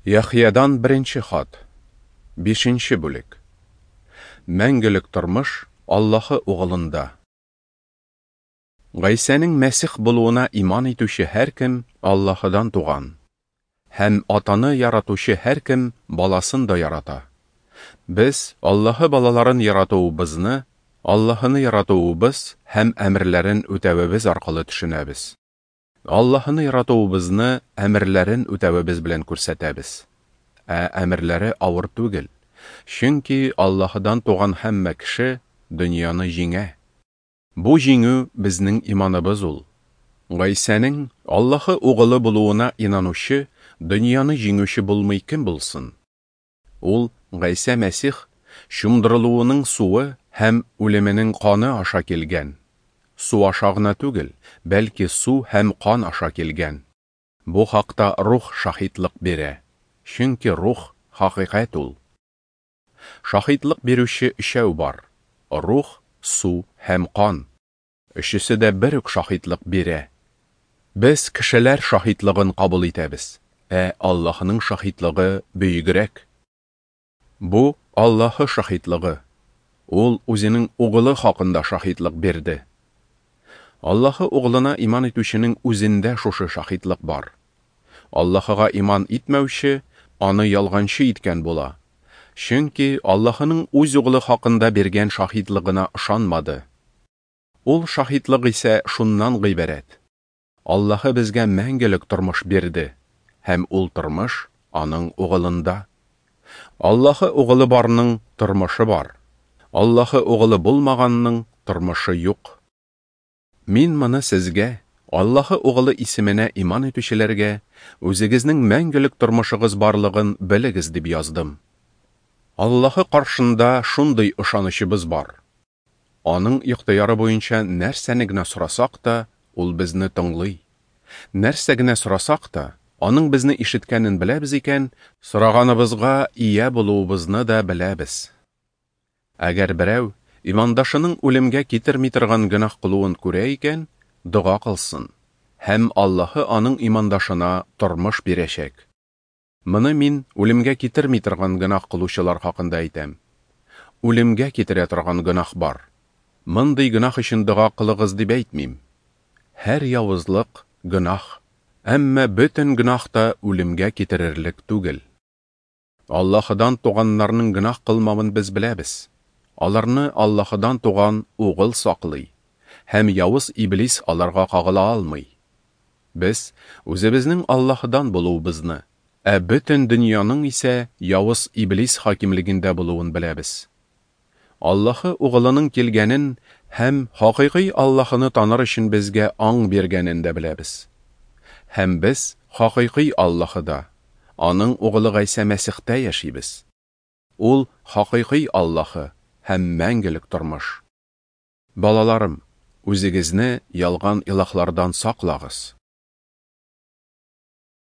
Яхъядан беренче хат. Бишенче бүлек. Мәңгелек тормыш Аллаһы Угылында. Гайсәнең Мәсих булуына иман итүче һәркем Аллаһыдан туган. Һәм Атаны яратучы һәркем баласын да ярата. Без Аллаһы балаларын яратуыбызны Аллаһыны яратуыбыз һәм әмерләрен үтәвебез аркылы төшенәбез. Аллаһыны яратуыбызны әмерләрен үтәвебез белән күрсәтәбез. Ә әмерләре авыр түгел, чөнки Аллаһыдан туган һәммә кеше дөньяны җиңә. Бу җиңү безнең иманыбыз ул. Гайсәнең Аллаһы Угылы булуына инанучы дөньяны җиңүче булмый кем булсын? Ул Гайсә Мәсих чумдырылуының суы һәм үлеменең каны аша килгән. Су аша гына түгел, бәлки су һәм кан аша килгән. Бу хакта Рух шаһитлык бирә, чөнки Рух хакыйкать ул. Шаһитлык бирүче өчәү бар: Рух, су һәм кан. Өчесе дә бер үк шаһитлык бирә. Без кешеләр шаһитлыгын кабул итәбез, ә Аллаһының шаһитлыгы бөегрәк. Бу Аллаһы шаһитлыгы. Ул үзенең Угылы хакында шаһитлык бирде. Аллаһы Угылына иман итүченең үзендә шушы шаһитлык бар. Аллаһыга иман итмәүче аны ялганчы иткән була, чөнки Аллаһының үз Угылы хакында биргән шаһитлыгына ышанмады. Ул шаһитлык исә шуннан гыйбарәт: Аллаһы безгә мәңгелек тормыш бирде, һәм ул тормыш аның Угылында. Аллаһы Угылы барның тормышы бар. Аллаһы Угылы булмаганның тормышы юк. Мин моны сезгә, Аллаһы Угылы исеменә иман итүчеләргә, үзегезнең мәңгелек тормышыгыз барлыгын белегез дип яздым. Аллаһы каршында шундый ышанычыбыз бар. Аның ихтыяры буенча нәрсәне генә сорасак та, ул безне тыңлый. Нәрсә генә сорасак та, аның безне ишеткәнен беләбез икән, сораганыбызга ия булуыбызны да беләбез. Әгәр берәү имандашының үлемгә китерми торган гөнаһ кылуын күрә икән, дога кылсын, һәм Аллаһы аның имандашына тормыш бирәчәк. Моны мин үлемгә китерми торган гөнаһ кылучылар хакында әйтәм. Үлемгә китерә торган гөнаһ бар. Мондый гөнаһ өчен дога кылыгыз дип әйтмим. Һәр явызлык гөнаһ, әмма бөтен гөнаһ та үлемгә китерерлек түгел. Аллаһыдан туганнарның гөнаһ кылмавын без беләбез. Аларны Аллаһыдан туган Угыл саклый, һәм явыз иблис аларга кагыла алмый. Без үзебезнең Аллаһыдан булуыбызны, ә бөтен дөньяның исә явыз иблис хакимлегендә булуын беләбез. Аллаһы Угылының килгәнен һәм хакыйкый Аллаһыны таныр өчен безгә аң биргәнен дә беләбез. Һәм без хакыйкый Аллаһыда, аның Угылы Гайсә Мәсихтә яшибез. Ул хакыйкый Аллаһы һәм мәңгелек тормыш. Балаларым, үзегезне ялган илаһлардан саклагыз.